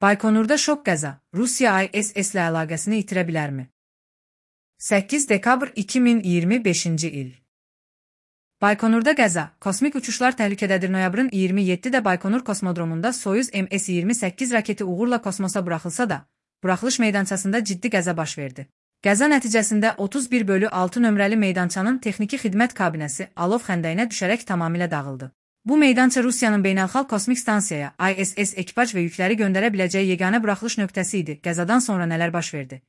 Baykonurda şok qəza. Rusiya ISS-lə əlaqəsini itirə bilərmi? 8 dekabr 2025-ci il. Baykonurda qəza. Kosmik uçuşlar təhlükədədir. Noyabrın 27-də Baykonur kosmodromunda Soyuz MS-28 raketi uğurla kosmosa buraxılsa da, buraxılış meydançasında ciddi qəza baş verdi. Qəza nəticəsində 31/6 nömrəli meydançanın texniki xidmət kabinəsi alov xəndəyinə düşərək tamamilə dağıldı. Bu meydança Rusiyanın beynəlxalq kosmik stansiyaya ISS ekipaj və yükləri göndərə biləcəyi yeganə buraxılış nöqtəsi idi. Qəzadan sonra nələr baş verdi?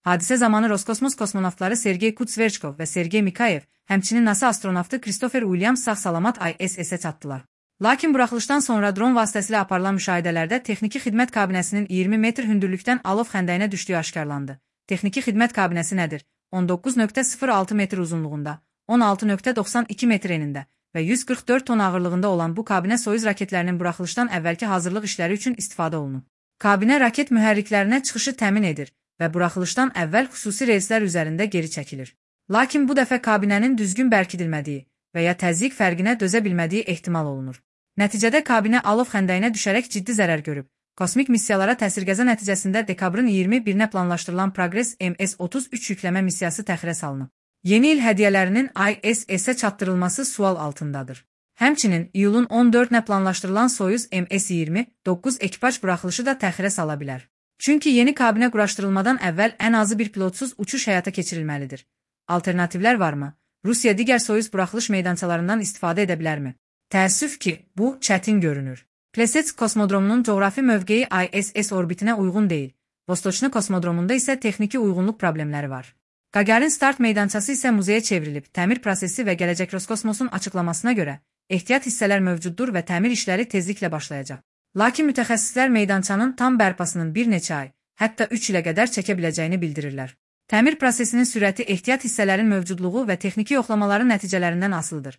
Hadisə zamanı Roskosmos kosmonavtları Sergey Kutsverchkov və Sergey Mikayev, həmçinin NASA astronavtı Christopher Williams sağ-salamat ISS-ə çatdılar. Lakin buraxılışdan sonra dron vasitəsilə aparılan müşahidələrdə texniki xidmət kabinəsinin 20 metr hündürlükdən alov xəndəyinə düşdüyü aşkarlandı. Texniki xidmət kabinəsi nədir? 19,06 metr uzunluğunda, 16,92 metr enində və 144 ton ağırlığında olan bu kabinə Soyuz raketlərinin buraxılışdan əvvəlki hazırlıq işləri üçün istifadə olunub. Kabinə raket mühərriklərinə çıxışı təmin edir və buraxılışdan əvvəl xüsusi reyslər üzərində geri çəkilir. Lakin bu dəfə kabinənin düzgün bərkidilmədiyi və ya təzyiq fərqinə dözə bilmədiyi ehtimal olunur. Nəticədə kabinə alov xəndəyinə düşərək ciddi zərər görüb. Kosmik missiyalara təsir-qəza nəticəsində dekabrın 21-nə planlaşdırılan Progress MS-33 yükləmə missiyası təxirə salınıb. Yeni il hədiyyələrinin ISS-ə çatdırılması sual altındadır. Həmçinin iyulun 14-nə planlaşdırılan Soyuz MS-29 ekipaj buraxılışı da təxirə sala bilər. Çünki yeni kabinə quraşdırılmadan əvvəl ən azı bir pilotsuz uçuş həyata keçirilməlidir. Alternativlər varmı? Rusiya digər Soyuz buraxılış meydançalarından istifadə edə bilərmi? Təəssüf ki, bu çətin görünür. Plesetsk kosmodromunun coğrafi mövqeyi ISS orbitinə uyğun deyil. Vostochny kosmodromunda isə texniki uyğunluq problemləri var. Gagarin start meydançası isə muzeyə çevrilib. Təmir prosesi və gələcək Roskosmosun açıqlamasına görə ehtiyat hissələr mövcuddur və təmir işləri tezliklə başlayacaq. Lakin mütəxəssislər meydançanın tam bərpasının bir neçə ay, hətta 3 ilə qədər çəkə biləcəyini bildirirlər. Təmir prosesinin sürəti ehtiyat hissələrin mövcudluğu və texniki yoxlamaların nəticələrindən asılıdır.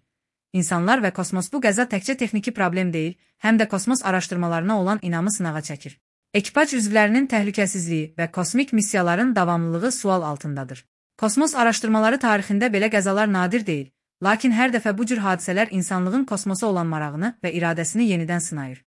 İnsanlar və kosmos bu qəza təkcə texniki problem deyil, həm də kosmos araşdırmalarına olan inamı sınağa çəkir. Ekipaj üzvlərinin təhlükəsizliyi və kosmik missiyaların davamlılığı sual altındadır. Kosmos araşdırmaları tarixində belə qəzalar nadir deyil, lakin hər dəfə bu cür hadisələr insanlığın kosmosa olan marağını və iradəsini yenidən sınayır.